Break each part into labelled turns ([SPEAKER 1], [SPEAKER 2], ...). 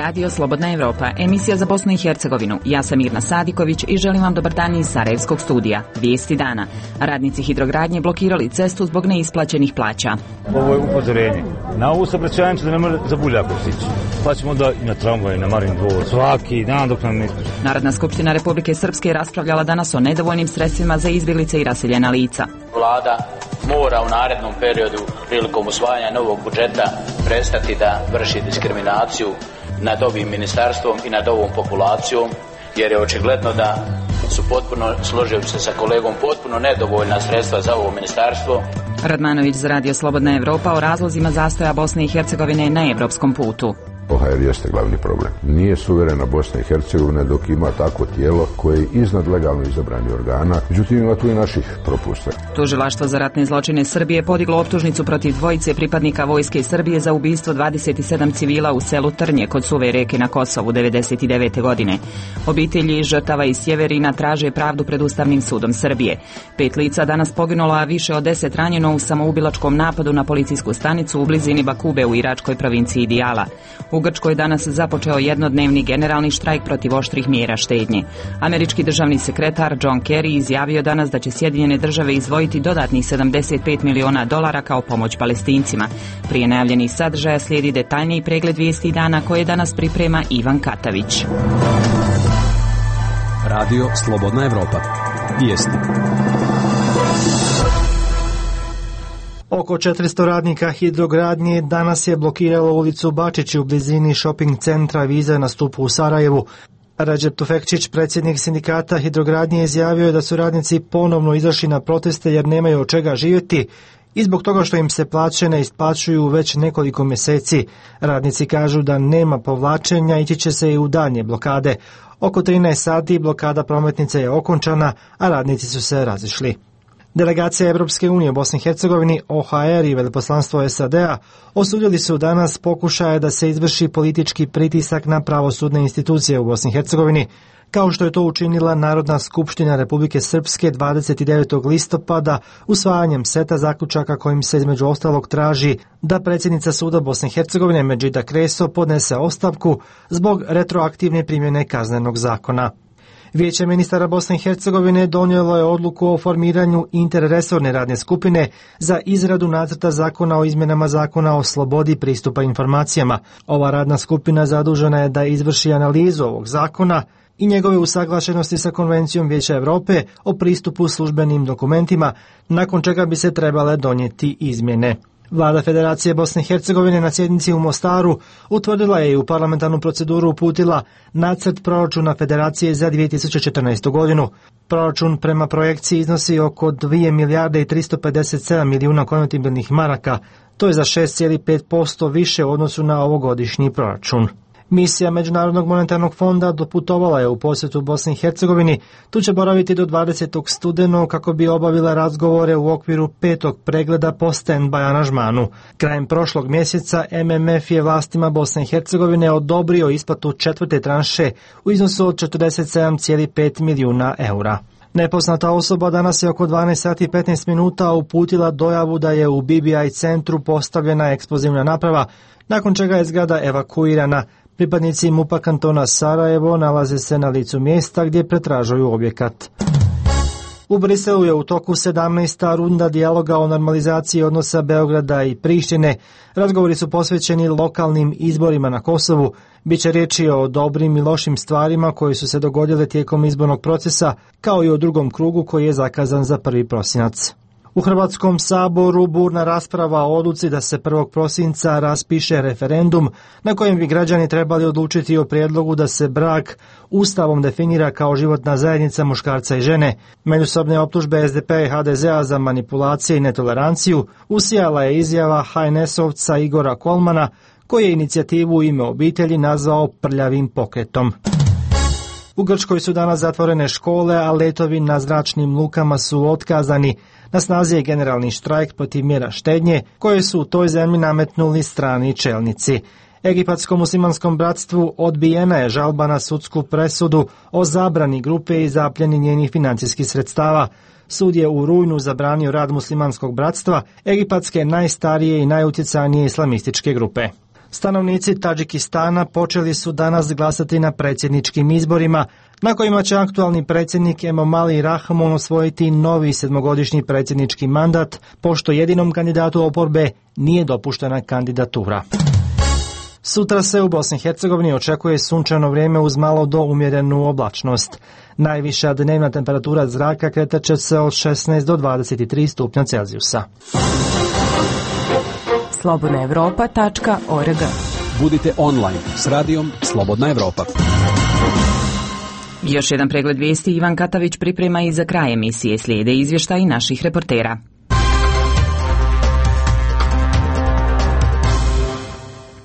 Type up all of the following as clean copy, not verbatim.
[SPEAKER 1] Radio Slobodna Evropa, emisija za Bosnu i Hercegovinu. Ja sam Mirna Sadiković i želim vam dobar dan iz Sarajevskog studija. Vijesti dana. Radnici hidrogradnje blokirali cestu zbog neisplaćenih plaća.
[SPEAKER 2] Ovo je upozorenje. Na ovu saobraćajnicu da ne može za Buljakov stići. Pa ćemo da i na tramvaj, na Marin dvor, svaki dan dok nam ne isplaća.
[SPEAKER 1] Narodna skupština Republike Srpske raspravljala danas o nedovoljnim sredstvima za izbjeglice i raseljena lica.
[SPEAKER 3] Vlada mora u narednom periodu prilikom usvajanja novog budžeta prestati da vrši diskriminaciju nad ovim ministarstvom i nad ovom populacijom, jer je očigledno da su potpuno, složio se sa kolegom, potpuno nedovoljna sredstva za ovo ministarstvo.
[SPEAKER 1] Radmanović za Radio Slobodna Evropa o razlozima zastoja Bosne i Hercegovine na evropskom putu.
[SPEAKER 4] OHR jeste glavni problem. Nije suverena Bosna i Hercegovina dok ima takvo tijelo koje je iznad legalno izabranih organa, međutim ima tu i naših propusta.
[SPEAKER 1] Tužilaštvo za ratne zločine Srbije podiglo optužnicu protiv dvojice pripadnika Vojske Srbije za ubistvo 27 civila u selu Trnje kod Suve reke na Kosovu 1999. godine. Obitelji žrtava iz Sjeverina traže pravdu pred Ustavnim sudom Srbije. 5 lica danas poginulo, a više od 10 ranjeno u samoubilačkom napadu na policijsku stanicu u blizini Bakube u iračkoj provinciji Dijala. U Grčkoj danas započeo jednodnevni generalni štrajk protiv oštrih mjera štednje. Američki državni sekretar John Kerry izjavio danas da će Sjedinjene države izdvojiti dodatnih $75 miliona kao pomoć Palestincima. Prije najavljenih sadržaja slijedi detaljniji pregled vijesti dana koje danas priprema Ivan Katavić.
[SPEAKER 5] Radio Slobodna Evropa. Vijesti.
[SPEAKER 6] Oko 400 radnika hidrogradnje danas je blokiralo ulicu Bačići u blizini shopping centra Viza na stupu u Sarajevu. Recep Tufekčić, predsjednik sindikata hidrogradnje, izjavio je da su radnici ponovno izašli na proteste jer nemaju od čega živjeti i zbog toga što im se plaće ne isplaćuju već nekoliko mjeseci. Radnici kažu da nema povlačenja, ići će se i u daljnje blokade. Oko 13 sati blokada prometnice je okončana, a radnici su se razišli. Delegacija Evropske unije u Bosni i Hercegovini, OHR i veleposlanstvo SAD-a osudili su danas pokušaje da se izvrši politički pritisak na pravosudne institucije u Bosni i Hercegovini, kao što je to učinila Narodna skupština Republike Srpske 29. listopada usvajanjem seta zaključaka kojim se između ostalog traži da predsjednica suda Bosne i Hercegovine Medžida Kreso podnese ostavku zbog retroaktivne primjene kaznenog zakona. Vijeće ministara Bosne i Hercegovine donijelo je odluku o formiranju interresorne radne skupine za izradu nacrta zakona o izmjenama zakona o slobodi pristupa informacijama. Ova radna skupina zadužena je da izvrši analizu ovog zakona i njegove usaglašenosti sa Konvencijom Vijeća Europe o pristupu službenim dokumentima, nakon čega bi se trebale donijeti izmjene. Vlada Federacije Bosne i Hercegovine na sjednici u Mostaru utvrdila je i u parlamentarnu proceduru uputila nacrt proračuna Federacije za 2014. godinu. Proračun prema projekciji iznosi oko 2 milijarde i 357 milijuna konvertibilnih maraka, to je za 6,5% više u odnosu na ovogodišnji proračun. Misija Međunarodnog monetarnog fonda doputovala je u posjetu Bosni i Hercegovini. Tu će boraviti do 20. studenog kako bi obavila razgovore u okviru 5. pregleda po stand-by aranžmanu. Krajem prošlog mjeseca MMF je vlastima Bosne i Hercegovine odobrio isplatu 4. tranše u iznosu od 47,5 milijuna eura. Nepoznata osoba danas je oko 12 sati i 15 minuta uputila dojavu da je u BBI centru postavljena eksplozivna naprava, nakon čega je zgrada evakuirana. Pripadnici MUP-a kantona Sarajevo nalaze se na licu mjesta gdje pretražuju objekat. U Briselu je u toku 17. runda dijaloga o normalizaciji odnosa Beograda i Prištine. Razgovori su posvećeni lokalnim izborima na Kosovu. Biće riječi o dobrim i lošim stvarima koje su se dogodile tijekom izbornog procesa, kao i o drugom krugu koji je zakazan za 1. prosinac. U Hrvatskom saboru burna rasprava o odluci da se 1. prosinca raspiše referendum na kojem bi građani trebali odlučiti o prijedlogu da se brak Ustavom definira kao životna zajednica muškarca i žene. Međusobne optužbe SDP i HDZ-a za manipulacije i netoleranciju usijala je izjava HNS-ovca Igora Kolmana, koji je inicijativu U ime obitelji nazvao prljavim pokretom. U Grčkoj su danas zatvorene škole, a letovi na zračnim lukama su otkazani. Na snazi je generalni štrajk protiv mjera štednje koje su u toj zemlji nametnuli strani čelnici. Egipatsko-muslimanskom bratstvu odbijena je žalba na sudsku presudu o zabrani grupe i zapljeni njenih financijskih sredstava. Sud je u rujnu zabranio rad muslimanskog bratstva, egipatske najstarije i najutjecajnije islamističke grupe. Stanovnici Tadžikistana počeli su danas glasati na predsjedničkim izborima, na kojima će aktualni predsjednik Emomali Rahmon osvojiti novi 7-godišnji predsjednički mandat, pošto jedinom kandidatu oporbe nije dopuštena kandidatura. Sutra se u Bosni i Hercegovini očekuje sunčano vrijeme uz malo do umjerenu oblačnost. Najviša dnevna temperatura zraka kretat će se od 16 do 23 stupnja Celzijusa.
[SPEAKER 7] slobodnaevropa.org.
[SPEAKER 5] Budite online s radijom Slobodna Evropa.
[SPEAKER 1] Još jedan pregled vijesti Ivan Katavić priprema i za kraj emisije slijede izvještaji naših reportera.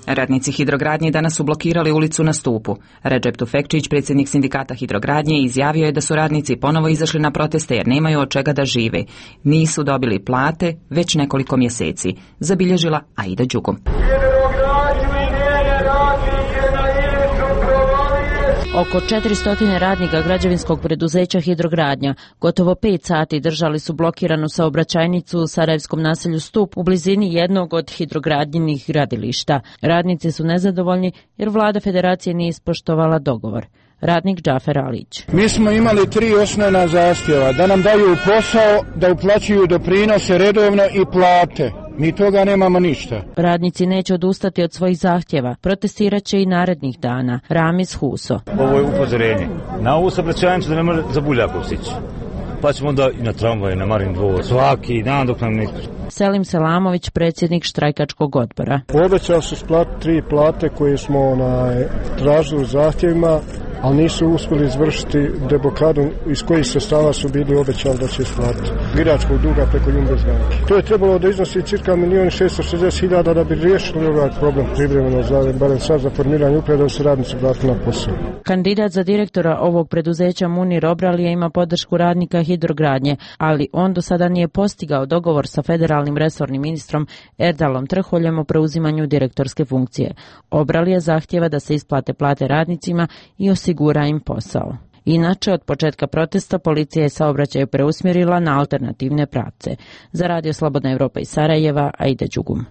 [SPEAKER 1] Radnici hidrogradnje danas su blokirali ulicu na Stupu. Redžep Tufekčić, predsjednik sindikata hidrogradnje, izjavio je da su radnici ponovo izašli na proteste jer nemaju od čega da žive. Nisu dobili plate već nekoliko mjeseci, zabilježila Aida Đugum.
[SPEAKER 8] Oko 400 radnika građevinskog preduzeća Hidrogradnja gotovo 5 sati držali su blokiranu saobraćajnicu u sarajevskom naselju Stup u blizini jednog od hidrogradnjenih gradilišta. Radnici su nezadovoljni jer vlada federacije nije ispoštovala dogovor. Radnik Džafer Alić.
[SPEAKER 9] Mi smo imali 3 osnovna zahtjeva, da nam daju posao, da uplaćuju doprinose redovno i plate. Mi toga nemamo ništa.
[SPEAKER 8] Radnici neće odustati od svojih zahtjeva. Protestirat će i narednih dana. Ramiz Huso.
[SPEAKER 2] Ovo je upozorenje. Na ovu saobraćajnicu da ne može za Buljakov stići. Pa ćemo onda i na tramvaj, na Marin dvor, svaki dan dok nam ne...
[SPEAKER 8] Selim Selamović, predsjednik štrajkačkog odbora.
[SPEAKER 9] Obećali su isplatiti 3 plate koje smo tražili u zahtjevima, ali nisu uspjeli izvršiti deblokadu iz kojih sredstava su bili obećali da će isplatiti. Biračkog duga preko Jumbers banke. To je trebalo da iznosi cirka 1.660.000 da bi riješili ovaj problem privremeno, barem sad za formiranje uprave da se radnici vratili na posao.
[SPEAKER 8] Kandidat za direktora ovog preduzeća Munir Obralija ima podršku radnika hidrogradnje, ali on do sada nije postigao dogovor sa federalnim resornim ministrom Erdalom Trholjem o preuzimanju direktorske funkcije. Obralija zahtjeva da se isplate plate radnicima i osigura im posao. Inače, od početka protesta policija je saobraćaj preusmjerila na alternativne pravce. Za Radio Slobodna Evropa iz Sarajeva, Aida Đugum.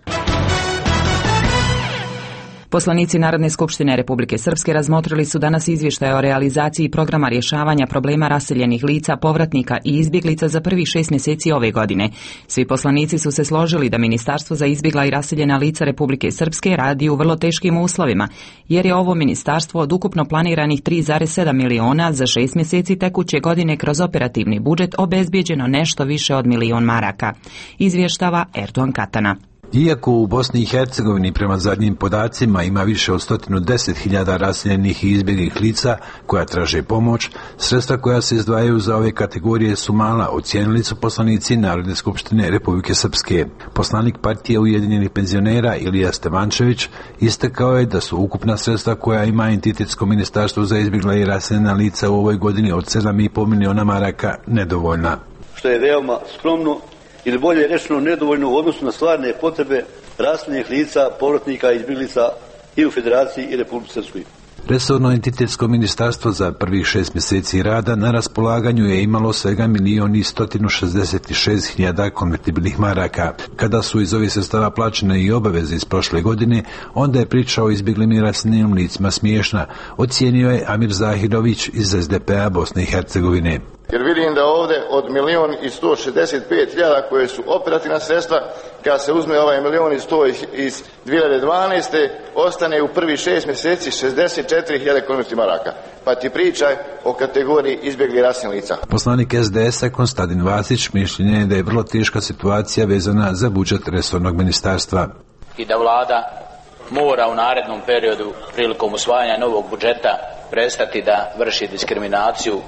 [SPEAKER 1] Poslanici Narodne skupštine Republike Srpske razmotrili su danas izvještaj o realizaciji programa rješavanja problema raseljenih lica, povratnika i izbjeglica za prvih 6 mjeseci ove godine. Svi poslanici su se složili da Ministarstvo za izbjegla i raseljena lica Republike Srpske radi u vrlo teškim uslovima, jer je ovo ministarstvo od ukupno planiranih 3,7 miliona za 6 mjeseci tekuće godine kroz operativni budžet obezbijeđeno nešto više od 1 milion maraka. Izvještava Erdogan Katana.
[SPEAKER 10] Iako u Bosni i Hercegovini prema zadnjim podacima ima više od 110.000 raseljenih i izbjeglih lica koja traže pomoć, sredstva koja se izdvajaju za ove kategorije su mala, ocijenili su poslanici Narodne skupštine Republike Srpske. Poslanik partije Ujedinjenih penzionera Ilija Stevančević istakao je da su ukupna sredstva koja ima entitetsko ministarstvo za izbjegla i raseljena lica u ovoj godini od 7,5 miliona maraka nedovoljna.
[SPEAKER 11] Što je veoma skromno, ili bolje rečeno nedovoljno u odnosu na stvarne potrebe raseljenih lica, povratnika i izbjeglica i u Federaciji i Republici Srpskoj.
[SPEAKER 10] Resorno entitetsko ministarstvo za prvih 6 mjeseci rada na raspolaganju je imalo svega 1.166.000 konvertibilnih maraka. Kada su iz ovih sredstava plaćene i obaveze iz prošle godine, onda je priča o izbjeglim i raseljenim licima smiješna, ocijenio je Amir Zahirović iz SDP-a Bosne i Hercegovine.
[SPEAKER 12] Jer vidim da ovdje od 1.165.000 koje su operativna sredstva, kada se uzme ovaj 1.100.000 iz 2012. ostane u prvih 6 mjeseci 64.000 konvertibilnih maraka. Pa ti pričaj o kategoriji izbjegli raseljenih lica.
[SPEAKER 10] Poslanik SDS-a Konstantin Vasić mišljenje je da je vrlo teška situacija vezana za budžet resornog ministarstva.
[SPEAKER 3] I da vlada mora u narednom periodu prilikom usvajanja novog budžeta prestati da vrši diskriminaciju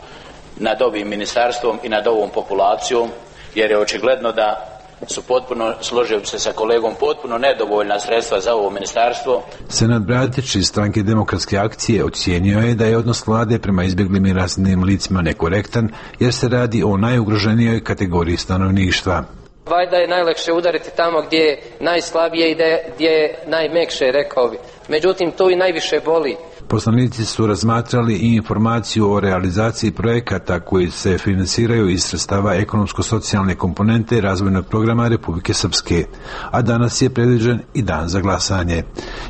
[SPEAKER 3] nad ovim ministarstvom i nad ovom populacijom, jer je očigledno da su potpuno, složio bi se sa kolegom, potpuno nedovoljna sredstva za ovo ministarstvo.
[SPEAKER 10] Senat Bratić iz Stranke demokratske akcije ocijenio je da je odnos vlade prema izbjeglim i raseljenim licima nekorektan, jer se radi o najugroženijoj kategoriji stanovništva.
[SPEAKER 13] Vajda je najlakše udariti tamo gdje je najslabije i gdje je najmekše, rekao bi. Međutim, to i najviše boli.
[SPEAKER 10] Poslanici su razmatrali i informaciju o realizaciji projekata koji se finansiraju iz sredstava ekonomsko-socijalne komponente razvojnog programa Republike Srpske, a danas je predviđen i dan za glasanje.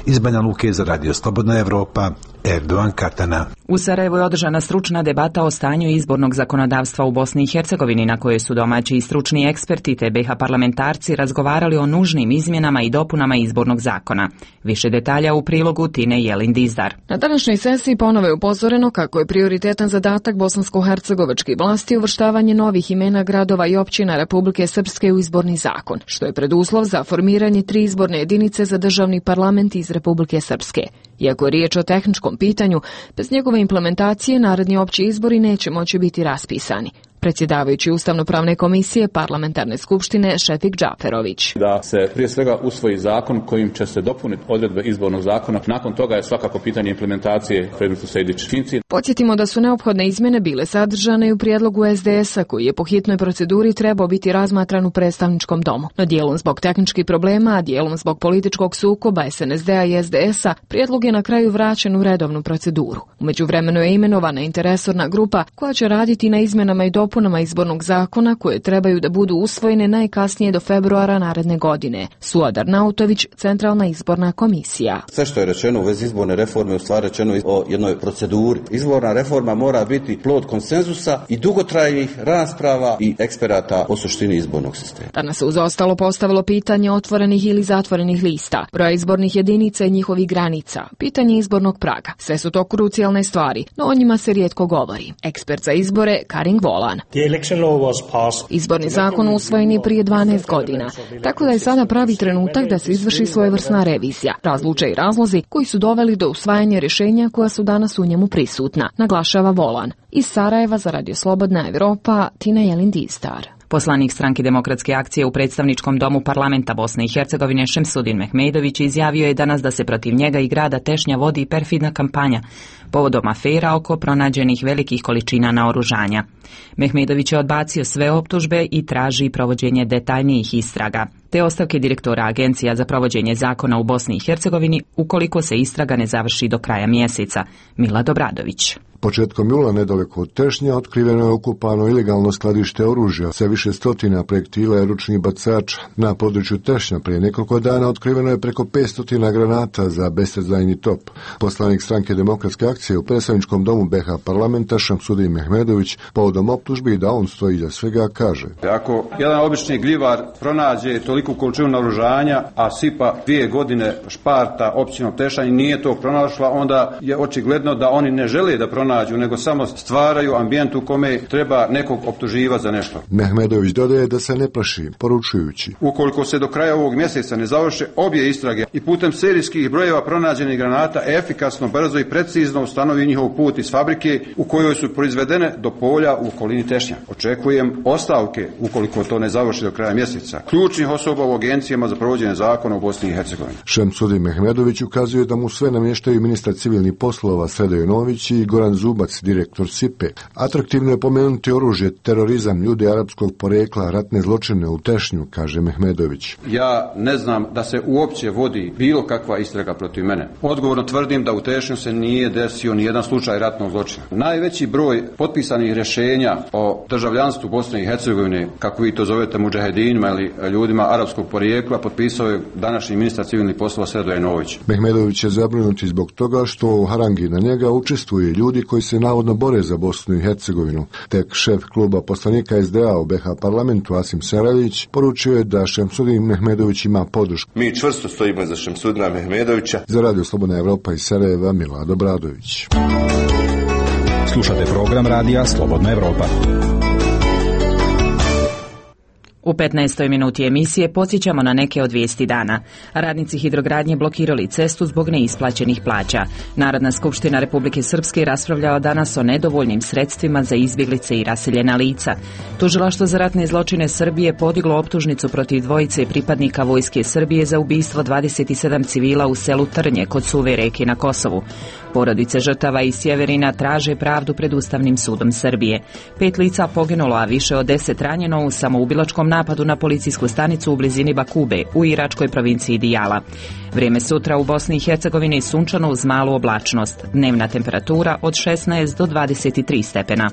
[SPEAKER 10] Iz Banja Luke za Radio Slobodna Evropa, Erdovan Katana.
[SPEAKER 1] U Sarajevu je održana stručna debata o stanju izbornog zakonodavstva u Bosni i Hercegovini, na kojoj su domaći i stručni eksperti te BiH parlamentarci razgovarali o nužnim izmjenama i dopunama izbornog zakona. Više detalja u prilogu Tine Jelin-Dizdar.
[SPEAKER 7] Na današnjoj sesiji ponovo je upozoreno kako je prioritetan zadatak bosansko-hercegovačkih vlasti uvrštavanje novih imena gradova i općina Republike Srpske u izborni zakon, što je preduslov za formiranje 3 izborne jedinice za državni parlament iz Republike Srpske. Iako je riječ o tehničkom pitanju, bez njegove implementacije naredni opći izbori neće moći biti raspisani. Predsjedavajući Ustavno-pravne komisije Parlamentarne skupštine Šefik Džaferović.
[SPEAKER 14] Da se prije svega usvoji zakon kojim će se dopuniti odredbe izbornog zakona. Nakon toga je svakako pitanje implementacije predmetu Sejdić-Finci.
[SPEAKER 7] Podsjetimo da su neophodne izmjene bile sadržane i u prijedlogu SDS-a koji je po hitnoj proceduri trebao biti razmatran u predstavničkom domu. No dijelom zbog tehničkih problema, a dijelom zbog političkog sukoba SNSD-a i SDS-a, prijedlog je na kraju vraćen u redovnu proceduru. U međuvremenu je imenovana interresorna grupa koja će raditi na izmjenama i dopunama izbornog zakona koje trebaju da budu usvojene najkasnije do februara naredne godine. Suadar Nautović, Centralna izborna komisija.
[SPEAKER 15] Sve što je rečeno u vezi izborne reforme u stvari rečeno o jednoj proceduri. Izborna reforma mora biti plod konsenzusa i dugotrajnih rasprava i eksperata o suštini izbornog sistema.
[SPEAKER 7] Danas se uz ostalo postavilo pitanje otvorenih ili zatvorenih lista, broja izbornih jedinica i njihovih granica, pitanje izbornog praga. Sve su to krucijalne stvari, no o njima se rijetko govori. Ekspert za izbore Karin Volan. Izborni zakon usvojen je prije 12 godina, tako da je sada pravi trenutak da se izvrši svojevrsna revizija, razluče i razlozi koji su doveli do usvajanja rješenja koja su danas u njemu prisutna, naglašava Volan. Iz Sarajeva za Radio Slobodna Evropa, Tina Jelin-Dizdar.
[SPEAKER 1] Poslanik Stranke demokratske akcije u predstavničkom domu parlamenta Bosne i Hercegovine Šemsudin Mehmedović izjavio je danas da se protiv njega i grada Tešnja vodi perfidna kampanja povodom afera oko pronađenih velikih količina naoružanja. Mehmedović je odbacio sve optužbe i traži provođenje detaljnijih istraga, te ostavke direktora Agencija za provođenje zakona u Bosni i Hercegovini ukoliko se istraga ne završi do kraja mjeseca. Milad Obradović.
[SPEAKER 16] Početkom jula nedaleko od Tešnja otkriveno je okupano ilegalno skladište oružja sa više stotina projektila i ručnih bacača. Na području Tešnja prije nekoliko dana otkriveno je preko 500 granata za bestezdajni top. Poslanik Stranke demokratske akcije u predstavničkom domu BiH parlamenta Šemsudin Mehmedović povodom optužbi da on stoji iza svega kaže:
[SPEAKER 17] Ako jedan obični gljivar pronađe toliku količinu naoružanja, a sipa 2 godine šparta općinom Tešanj nije to pronašla, onda je očigledno da oni ne žele da pronađu, nego samo stvaraju ambijent u kome treba nekog optuživati za nešto.
[SPEAKER 16] Mehmedović dodaje da se ne plaši, poručujući:
[SPEAKER 17] Ukoliko se do kraja ovog mjeseca ne završe obje istrage i putem serijskih brojeva pronađenih granata efikasno, brzo i precizno ustanovi njihov put iz fabrike u kojoj su proizvedene do polja u okolini Tešnja. Očekujem ostavke ukoliko to ne završi do kraja mjeseca ključnih osoba u agencijama za provođenje zakona u Bosni i Hercegovini.
[SPEAKER 16] Šemsudin Mehmedović ukazuje da mu sve namještaju ministar civilnih poslova Sredo Jonović i Goran Zubac, direktor SIPE. Atraktivno je pomenuti oružje, terorizam, ljudi arapskog porekla, ratne zločine u Tešnju, kaže Mehmedović.
[SPEAKER 17] Ja ne znam da se uopće vodi bilo kakva istraga protiv mene. Odgovorno tvrdim da u Tešnju se nije desio ni jedan slučaj ratnog zločina. Najveći broj potpisanih rješenja o državljanstvu Bosne i Hercegovine, kako vi to zovete mudžahedinima ili ljudima arapskog porijekla, potpisao je današnji ministar civilnih poslova Sredo Jonović.
[SPEAKER 16] Mehmedović je zabrinuti zbog toga što u harangi na njega učestvuju ljudi koji se navodno bore za Bosnu i Hercegovinu. Tek šef kluba poslanika SDA u BiH parlamentu Asim Seralić poručio je da Šemsudin Mehmedović ima podršku.
[SPEAKER 18] Mi čvrsto stojimo iza Šemsudina Mehmedovića.
[SPEAKER 16] Za Radio Slobodna Evropa iz Sarajeva, Milad Obradović.
[SPEAKER 5] Slušate program Radija Slobodna Evropa.
[SPEAKER 1] U 15. minuti emisije podsjećamo na neke od vijesti dana. Radnici hidrogradnje blokirali cestu zbog neisplaćenih plaća. Narodna skupština Republike Srpske raspravljala danas o nedovoljnim sredstvima za izbjeglice i raseljena lica. Tužilaštvo za ratne zločine Srbije podiglo optužnicu protiv dvojice pripadnika Vojske Srbije za ubistvo 27 civila u selu Trnje kod Suve reke na Kosovu. Porodice žrtava iz Sjeverina traže pravdu pred Ustavnim sudom Srbije. 5 lica poginulo, a više od 10 ranjeno u samoubilačkom napadu na policijsku stanicu u blizini Bakube u iračkoj provinciji Dijala. Vrijeme sutra u Bosni i Hercegovini sunčano uz malu oblačnost. Dnevna temperatura od 16 do 23 stepena.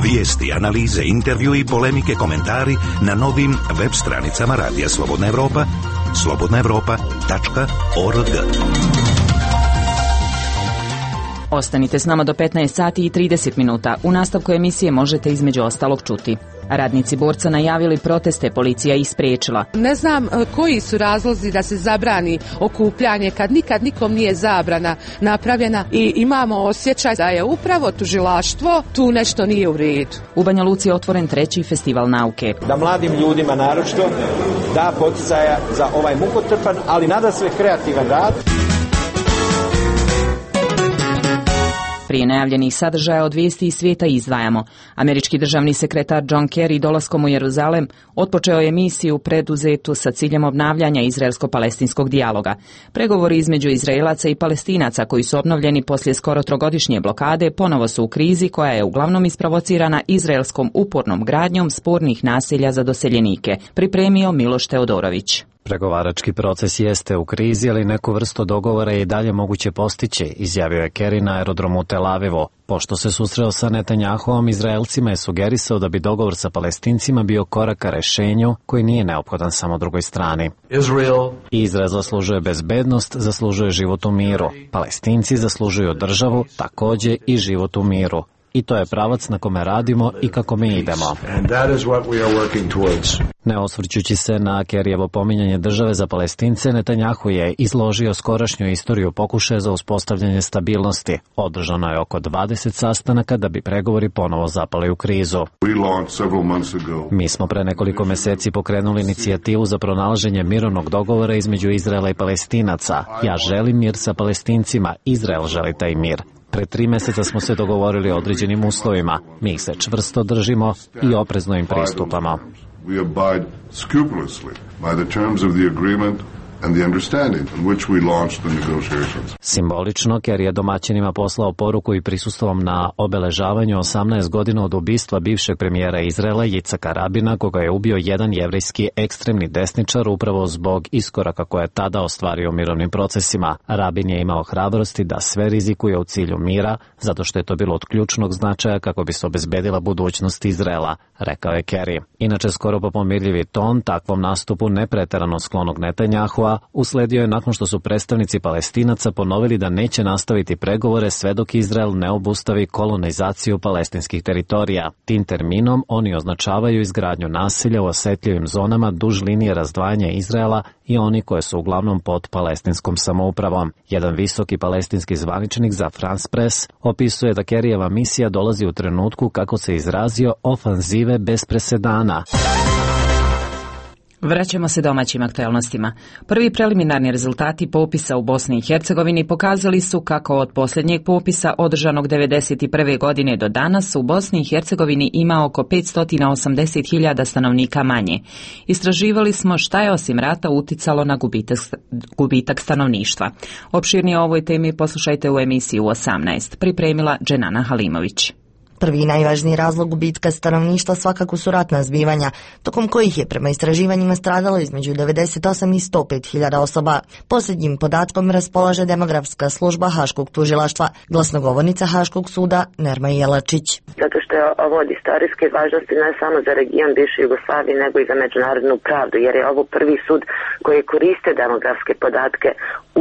[SPEAKER 19] Vijesti, analize, intervju i polemike, komentari na novim web stranicama Radija Slobodna Evropa, slobodnaevropa.org.
[SPEAKER 1] Ostanite s nama do 15 sati i 30 minuta. U nastavku emisije možete između ostalog čuti. Radnici Borca najavili proteste, policija ih spriječila.
[SPEAKER 20] Ne znam koji su razlozi da se zabrani okupljanje kad nikad nikom nije zabrana napravljena i imamo osjećaj da je upravo tužilaštvo tu nešto nije u redu.
[SPEAKER 1] U Banja Luci je otvoren 3. festival nauke.
[SPEAKER 21] Da mladim ljudima naročito da poticaja za ovaj mukotrpan, ali nadasve kreativan rad.
[SPEAKER 1] Prije najavljenih sadržaja od vijesti iz svijeta izdvajamo. Američki državni sekretar John Kerry dolaskom u Jeruzalem otpočeo je misiju preduzetu sa ciljem obnavljanja izraelsko-palestinskog dijaloga. Pregovori između Izraelaca i Palestinaca koji su obnovljeni poslije skoro 3-godišnje blokade ponovo su u krizi koja je uglavnom isprovocirana izraelskom upornom gradnjom spornih naselja za doseljenike. Pripremio Miloš Teodorović.
[SPEAKER 22] Pregovarački proces jeste u krizi, ali neku vrstu dogovora je i dalje moguće postići, izjavio je Kerry na aerodromu Tel Avivu. Pošto se susreo sa Netanjahuom, Izraelcima je sugerisao da bi dogovor sa Palestincima bio korak ka rešenju koji nije neophodan samo drugoj strani. Izrael zaslužuje bezbednost, zaslužuje život u miru. Palestinci zaslužuju državu, takođe i život u miru. I to je pravac na kome radimo i kako mi idemo. Ne osvrćući se na Kerryevo pominjanje države za Palestince, Netanjahu je izložio skorašnju istoriju pokušaja za uspostavljanje stabilnosti. Održano je oko 20 sastanaka da bi pregovori ponovo zapali u krizu. Mi smo pre nekoliko meseci pokrenuli inicijativu za pronalaženje mirovnog dogovora između Izraela i Palestinaca. Ja želim mir sa Palestincima, Izrael želi taj mir. Pre 3 meseca smo se dogovorili o određenim uslovima. Mi ih se čvrsto držimo i oprezno im pristupamo.
[SPEAKER 23] We abide scrupulously by the terms of the agreement and the understanding in which we launched the negotiations.
[SPEAKER 22] Simbolično, Kerry je domaćinima poslao poruku i prisustvom na obeležavanju 18 godina od ubistva bivšeg premijera Izraela Jicaka Rabina, koga je ubio jedan jevrejski ekstremni desničar upravo zbog iskoraka koje je tada ostvario u mirovnim procesima. Rabin je imao hrabrosti da sve rizikuje u cilju mira, zato što je to bilo od ključnog značaja kako bi se obezbedila budućnost Izraela, rekao je Kerry. Inače, skoro pa pomirljivi ton takvom nastupu nepreterano sklonog Netanjahua usledio je nakon što su predstavnici Palestinaca ponovili da neće nastaviti pregovore sve dok Izrael ne obustavi kolonizaciju palestinskih teritorija. Tim terminom oni označavaju izgradnju naselja u osetljivim zonama duž linije razdvajanja Izraela i oni koje su uglavnom pod palestinskom samoupravom. Jedan visoki palestinski zvaničnik za France Press opisuje da Kerryjeva misija dolazi u trenutku, kako se izrazio, ofanzive bez presedana.
[SPEAKER 1] Vraćamo se domaćim aktualnostima. Prvi preliminarni rezultati popisa u Bosni i Hercegovini pokazali su kako od posljednjeg popisa održanog 1991. godine do danas u Bosni i Hercegovini ima oko 580.000 stanovnika manje. Istraživali smo šta je osim rata uticalo na gubitak stanovništva. Opširnije o ovoj temi poslušajte u emisiji u 18. Pripremila Dženana Halimović.
[SPEAKER 24] Prvi i najvažniji razlog gubitka stanovništva svakako su ratna zbivanja, tokom kojih je prema istraživanjima stradalo između 98 i 105.000 osoba. Posljednjim podatkom raspolaže demografska služba Haškog tužilaštva, glasnogovornica Haškog suda Nerma Jelačić.
[SPEAKER 25] Zato što je ovo od istorijske važnosti ne samo za region bivše Jugoslavije, nego i za međunarodnu pravdu, jer je ovo prvi sud koji koriste demografske podatke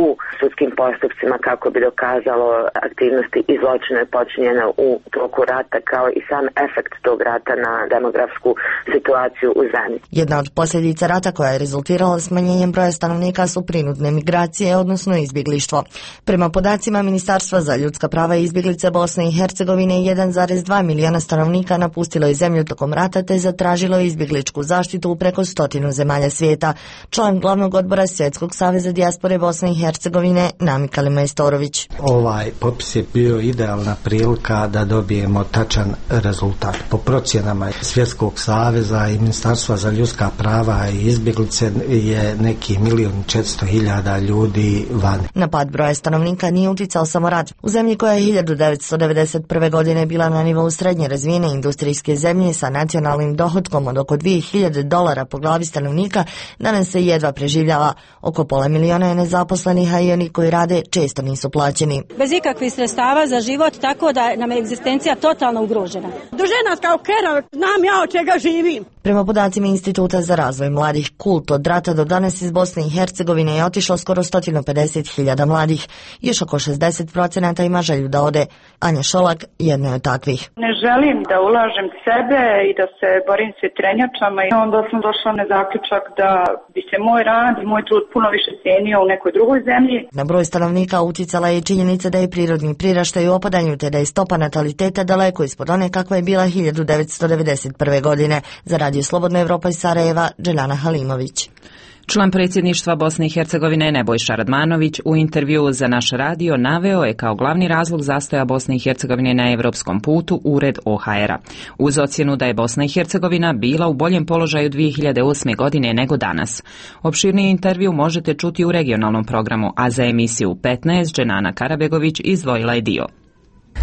[SPEAKER 25] u sudskim postupcima kako bi dokazalo aktivnosti i zločine počinjene u toku rata, kao i sam efekt tog rata na demografsku situaciju u zemlji.
[SPEAKER 24] Jedna od posljedica rata koja je rezultirala smanjenjem broja stanovnika su prinudne migracije, odnosno izbjeglištvo. Prema podacima Ministarstva za ljudska prava i izbjeglice Bosne i Hercegovine, 1,2 miliona stanovnika napustilo je zemlju tokom rata te zatražilo izbjegličku zaštitu u preko 100 zemalja svijeta. Član glavnog odbora Svjetskog saveza dijaspore Bosne i Hercegovine Namika Majstorović.
[SPEAKER 26] Ovaj popis je bio idealna prilika da dobijemo
[SPEAKER 2] tačan rezultat. Po procjenama Svjetskog saveza i Ministarstva za ljudska prava i izbjeglice je neki 1.400.000 ljudi van.
[SPEAKER 24] Na pad broja stanovnika nije uticao samo rat. U zemlji koja je 1991. godine bila na nivou srednje razvijene industrijske zemlje sa nacionalnim dohotkom od oko $2.000 po glavi stanovnika, danas se jedva preživljava. Oko 500.000 je nezaposlenih, a i oni koji rade često nisu plaćeni.
[SPEAKER 4] Bez ikakvih sredstava za život, tako da nam je egzistencija totalno ugrožena. Dužena kao kera, znam ja od čega živim.
[SPEAKER 24] Prema podacima Instituta za razvoj mladih KULT, od rata do danas iz Bosne i Hercegovine je otišlo skoro 150.000 mladih. Još oko 60% ima želju da ode. Anja Šolak jedna je od takvih.
[SPEAKER 6] Ne želim da ulažem sebe i da se borim s vjetrenjačama i onda sam došla na zaključak da bi se moj rad i moj trud puno više cijenio u nekoj drugoj zemlji.
[SPEAKER 24] Na broj stanovnika uticala je činjenica da je prirodni priraštaj u opadanju te da je stopa nataliteta daleko ispod one kakva je bila 1991. godine. Za Radio Slobodna Evropa iz Sarajeva, Dželjana Halimović.
[SPEAKER 1] Član predsjedništva Bosne i Hercegovine Nebojša Radmanović u intervjuu za naš radio naveo je kao glavni razlog zastoja Bosne i Hercegovine na evropskom putu ured OHR-a. Uz ocjenu da je Bosna i Hercegovina bila u boljem položaju 2008. godine nego danas. Opširniji intervju možete čuti u regionalnom programu, a za emisiju 15 Dženana Karabegović izdvojila je dio.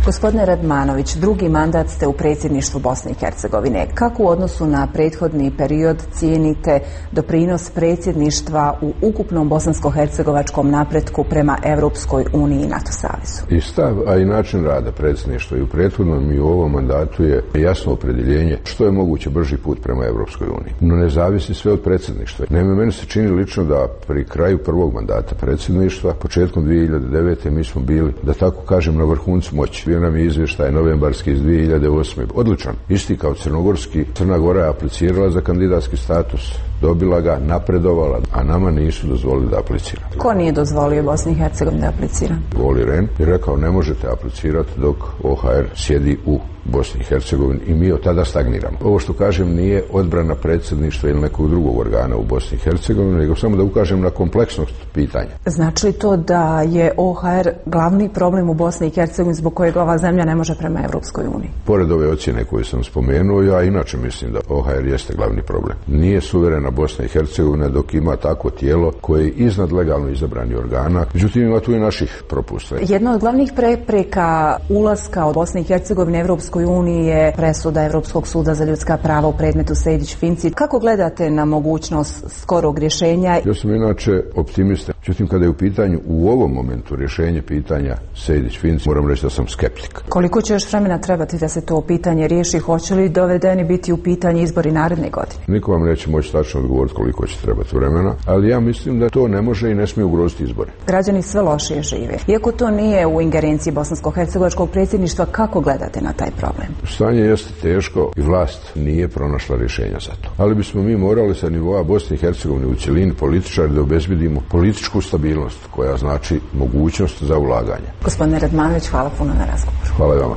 [SPEAKER 8] Gospodine Radmanović, drugi mandat ste u predsjedništvu Bosne i Hercegovine. Kako u odnosu na prethodni period cijenite doprinos predsjedništva u ukupnom bosansko-hercegovačkom napretku prema Europskoj uniji i NATO savezu?
[SPEAKER 9] I stav, a i način rada predsjedništva i u prethodnom i u ovom mandatu je jasno opredjeljenje što je moguće brži put prema Europskoj uniji. No ne zavisi sve od predsjedništva. Naime, meni se čini lično da pri kraju prvog mandata predsjedništva, početkom 2009. mi smo bili, da tako kažem, na vrhuncu moći. Bio nam je izvještaj novembarski iz 2008. Odličan. Isti kao crnogorski. Crna Gora je aplicirala za kandidatski status, dobila ga, napredovala, a nama nisu dozvolili da apliciramo.
[SPEAKER 8] Ko nije dozvolio Bosni i Hercegovini da aplicira?
[SPEAKER 9] Olli Rehn je rekao ne možete aplicirati dok OHR sjedi u Bosni i Hercegovini i mi od tada stagniramo. Ovo što kažem nije odbrana predsjedništva ili nekog drugog organa u Bosni i Hercegovini, nego samo da ukažem na kompleksnost pitanja.
[SPEAKER 8] Znači li to da je OHR glavni problem u Bosni i Hercegovini zbog kojeg ova zemlja ne može prema Europskoj uniji?
[SPEAKER 9] Pored ove ocjene koje sam spomenuo, ja inače mislim da OHR jeste glavni problem. Nije suverena Bosna i Hercegovina dok ima takvo tijelo koje je iznad legalno izabrani organa, međutim ima tu i naših propusta.
[SPEAKER 8] Jedna od glavnih prepreka ulaska od Bosne i Hercegovine Europskoj uniji je presuda Europskog suda za ljudska prava u predmetu Sejdić-Finci. Kako gledate na mogućnost skorog rješenja?
[SPEAKER 9] Ja sam inače optimista. Međutim, kada je u pitanju u ovom momentu rješenje pitanja Sejdić-Finci, moram reći da sam skeptik.
[SPEAKER 8] Koliko će još vremena trebati da se to pitanje riješi? Hoće li dovedeni biti u pitanje izbori naredne godine?
[SPEAKER 9] Niko vam neće moći tačno odgovoriti koliko će trebati vremena, ali ja mislim da to ne može i ne smije ugroziti izbore.
[SPEAKER 8] Građani sve lošije žive. Iako to nije u ingerenciji bosansko-hercegovačkog predsjedništva, kako gledate na taj problem?
[SPEAKER 9] Stanje jeste teško i vlast nije pronašla rješenja za to. Ali bismo mi morali sa nivoa Bosne i Hercegovine u cjelini političari da obezbedimo političku stabilnost koja znači mogućnost za ulaganje.
[SPEAKER 8] Gospodine Radmanović, hvala puno na razgovoru.
[SPEAKER 9] Hvala vama.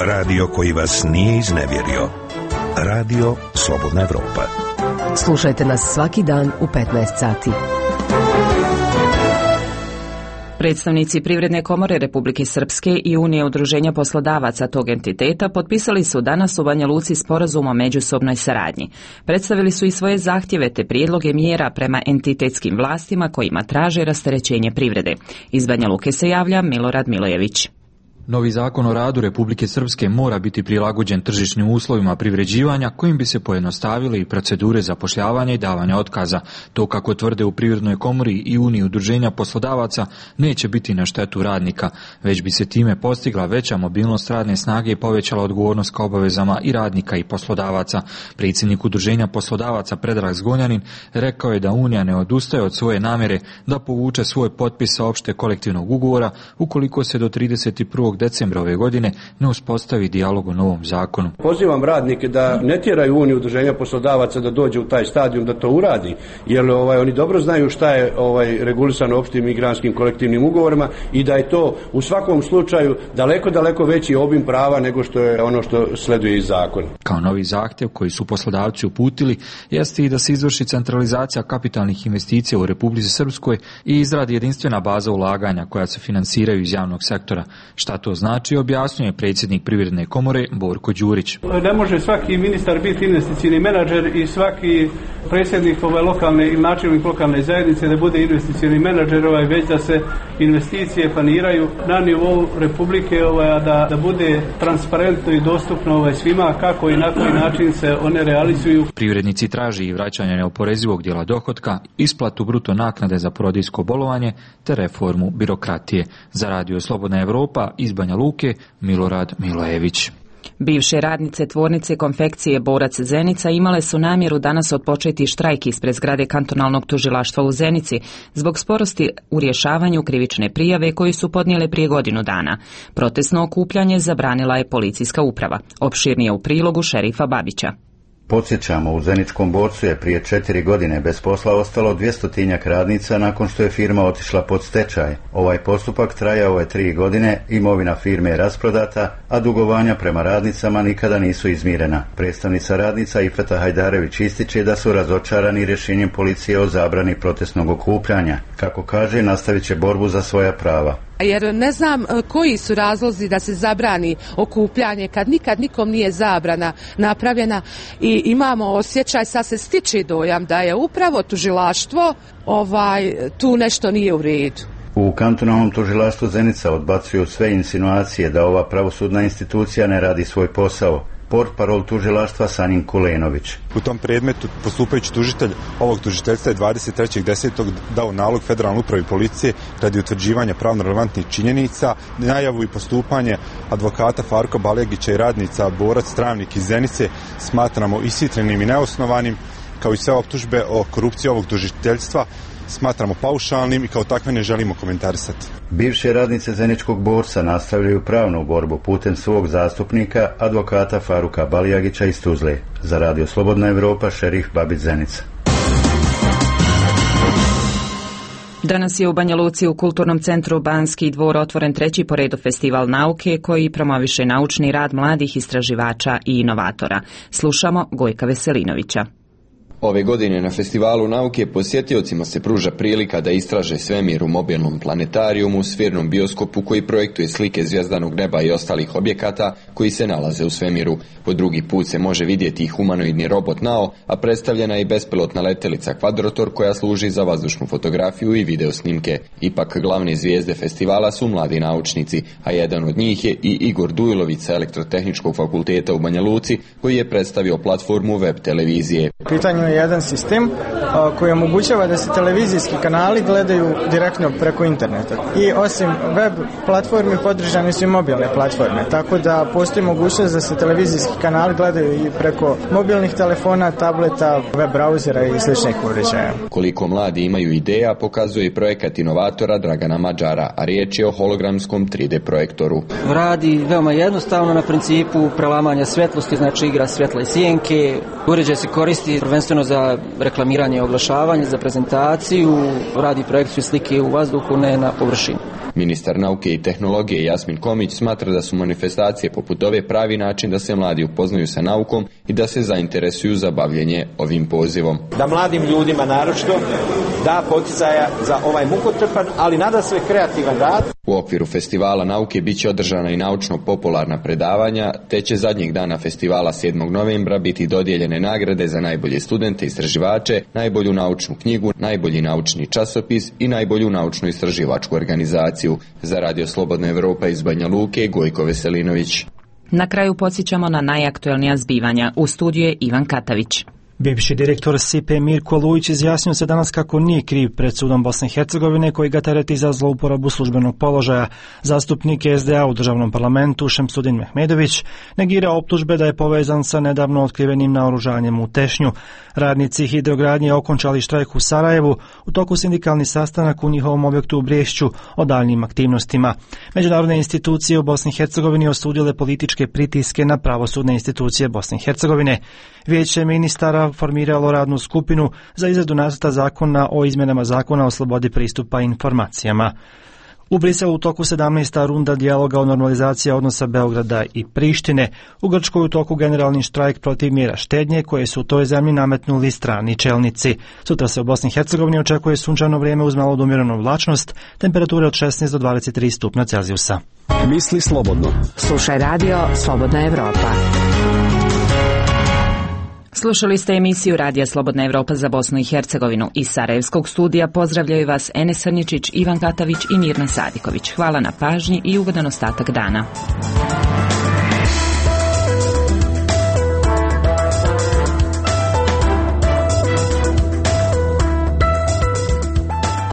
[SPEAKER 19] Radio koji vas nije iznevjerio. Radio Slobodna Evropa.
[SPEAKER 26] Slušajte nas svaki dan u 15 sati.
[SPEAKER 1] Predstavnici Privredne komore Republike Srpske i Unije udruženja poslodavaca tog entiteta potpisali su danas u Banja Luci sporazum o međusobnoj saradnji. Predstavili su i svoje zahtjeve te prijedloge mjera prema entitetskim vlastima kojima traže rasterećenje privrede. Iz Banja Luke se javlja Milorad Milojević.
[SPEAKER 27] Novi zakon o radu Republike Srpske mora biti prilagođen tržišnim uslovima privređivanja kojim bi se pojednostavile i procedure zapošljavanja i davanja otkaza. To, kako tvrde u Privrednoj komori i Uniji udruženja poslodavaca, neće biti na štetu radnika, već bi se time postigla veća mobilnost radne snage i povećala odgovornost ka obavezama i radnika i poslodavaca. Predsjednik udruženja poslodavaca Predrag Zgonjanin rekao je da Unija ne odustaje od svoje namjere da povuče svoj potpis sa opšte kolektivnog ugovora ukoliko se do 31. decembra ove godine ne uspostavi dijalog o novom zakonu.
[SPEAKER 3] Pozivam radnike da ne tjeraju Uniju udruženja poslodavaca da dođe u taj stadijum da to uradi, jer oni dobro znaju šta je regulisano opštim migranskim kolektivnim ugovorima i da je to u svakom slučaju daleko veći obim prava nego što je ono što sleduje iz zakona.
[SPEAKER 27] Kao novi zahtjev koji su poslodavci uputili jeste i da se izvrši centralizacija kapitalnih investicija u Republici Srpskoj i izradi jedinstvena baza ulaganja koja se finansiraju iz javnog sektora. Šta to znači, objasnjuje predsjednik Privredne komore Borko Đurić.
[SPEAKER 10] Ne može svaki ministar biti investicijni menadžer i svaki predsjednik lokalne ili načelnik lokalne zajednice da bude investicijni menadžer, već da se investicije planiraju na nivou Republike, da bude transparentno i dostupno svima kako i na koji način se one realizuju.
[SPEAKER 27] Privrednici traži i vraćanje neoporezivog dijela dohotka, isplatu bruto naknade za porodilsko bolovanje te reformu birokratije. Za Radio Slobodna Evropa iz Banja Luke, Milorad Milojević.
[SPEAKER 1] Bivše radnice tvornice konfekcije Borac Zenica imale su namjeru danas otpočeti štrajk ispred zgrade kantonalnog tužilaštva u Zenici zbog sporosti u rješavanju krivične prijave koju su podnijele prije godinu dana. Protestno okupljanje zabranila je policijska uprava. Opširnije u prilogu šerifa Babića.
[SPEAKER 11] Podsjećamo, u Zeničkom Borcu je prije 4 godine bez posla ostalo 200-tinjak radnica nakon što je firma otišla pod stečaj. Ovaj postupak trajao je 3 godine, imovina firme je rasprodata, a dugovanja prema radnicama nikada nisu izmirena. Predstavnica radnica Ifeta Hajdarević ističe da su razočarani rješenjem policije o zabrani protestnog okupljanja. Kako kaže, nastavit će borbu za svoja prava.
[SPEAKER 20] Jer ne znam koji su razlozi da se zabrani okupljanje kad nikad nikom nije zabrana napravljena i imamo osjećaj, sad se stiče dojam da je upravo tužilaštvo tu nešto nije u redu.
[SPEAKER 11] U kantonalnom tužilaštvu Zenica odbacuju sve insinuacije da ova pravosudna institucija ne radi svoj posao. Portparol tužilaštva Sanin Kulenović.
[SPEAKER 12] U tom predmetu postupajući tužitelj ovog tužiteljstva je 23.10. dao nalog Federalnoj upravi policije radi utvrđivanja pravno relevantnih činjenica, najavu i postupanje advokata Farka Baljagića i radnica Borac Travnik iz Zenice smatramo ishitrenim i neosnovanim, kao i sve optužbe o korupciji ovog tužiteljstva smatramo paušalnim i kao takve ne želimo komentarisati.
[SPEAKER 11] Bivše radnice Zeničkog Borca nastavljaju pravnu borbu putem svog zastupnika, advokata Faruka Baljagića iz Tuzle. Za Radio Slobodna Evropa, šerif Babić Zenica.
[SPEAKER 1] Danas je u Banja Luci u Kulturnom centru Banski dvor otvoren 3. po redu festival nauke koji promoviše naučni rad mladih istraživača i inovatora. Slušamo Gojka Veselinovića.
[SPEAKER 13] Ove godine na Festivalu nauke posjetiocima se pruža prilika da istraže svemir u mobilnom planetarijumu, sfirnom bioskopu koji projektuje slike zvjezdanog neba i ostalih objekata koji se nalaze u svemiru. Po drugi put se može vidjeti humanoidni robot Nao, a predstavljena je i bespilotna letelica Kvadrotor koja služi za vazdušnu fotografiju i video snimke. Ipak glavne zvijezde festivala su mladi naučnici, a jedan od njih je i Igor Dujlović sa Elektrotehničkog fakulteta u Banja Luci koji je predstavio platformu web televizije.
[SPEAKER 14] Pitanje je jedan sistem koji omogućava da se televizijski kanali gledaju direktno preko interneta. I osim web platformi podržane su i mobilne platforme, tako da postoji mogućnost da se televizijski kanali gledaju i preko mobilnih telefona, tableta, web brauzera i sličnih uređaja.
[SPEAKER 13] Koliko mladi imaju ideja pokazuje i projekat inovatora Dragana Mađara, a riječ je o hologramskom 3D projektoru.
[SPEAKER 15] Radi veoma jednostavno na principu prelamanja svjetlosti, znači igra svjetla i sjenke. Uređaj se koristi prvenstveno za reklamiranje i oglašavanje, za prezentaciju, radi projekciju slike u vazduhu, ne na površini.
[SPEAKER 13] Ministar nauke i tehnologije Jasmin Komić smatra da su manifestacije poput ove pravi način da se mladi upoznaju sa naukom i da se zainteresuju za bavljenje ovim pozivom.
[SPEAKER 21] Da mladim ljudima naročito da poticaja za ovaj mukotrpan, ali nadasve kreativan rad.
[SPEAKER 13] U okviru festivala nauke bit će održana i naučno-popularna predavanja, te će zadnjeg dana festivala 7. novembra biti dodijeljene nagrade za najbolje studente i istraživače, najbolju naučnu knjigu, najbolji naučni časopis i najbolju naučno-istraživačku organizaciju. Za Radio Slobodna Evropa iz Banja Luke, Gojko Veselinović.
[SPEAKER 1] Na kraju podsjećamo na najaktuelnija zbivanja. U studiju je Ivan Katavić.
[SPEAKER 5] Bivši direktor SIPE Mirko Lujić izjasnio se danas kako nije kriv pred sudom Bosne i Hercegovine koji ga tereti za zlouporabu službenog položaja. Zastupnik SDA u državnom parlamentu Šemsudin Mehmedović negira optužbe da je povezan sa nedavno otkrivenim naoružanjem u Tešnju. Radnici hidrogradnje okončali štrajk u Sarajevu, u toku sindikalni sastanak u njihovom objektu u Briješću o daljnjim aktivnostima. Međunarodne institucije u Bosni i Hercegovini osudile političke pritiske na pravosudne institucije Bosne i Hercegovine. Vijeće ministara formiralo radnu skupinu za izradu nacrta zakona o izmjenama zakona o slobodi pristupa informacijama. U Briselu u toku 17. runda dijaloga o normalizaciji odnosa Beograda i Prištine. U Grčkoj u toku generalni štrajk protiv mjera štednje koje su u toj zemlji nametnuli strani čelnici. Sutra se u Bosni i Hercegovini očekuje sunčano vrijeme uz malo umjerenu oblačnost, temperature od 16 do 23 stupnja Celzijusa.
[SPEAKER 7] Misli slobodno.
[SPEAKER 26] Slušaj radio Slobodna Evropa.
[SPEAKER 1] Slušali ste emisiju Radija Slobodna Evropa za Bosnu i Hercegovinu. Iz Sarajevskog studija pozdravljaju vas Enes Srničić, Ivan Katavić i Mirna Sadiković. Hvala na pažnji i ugodan ostatak dana.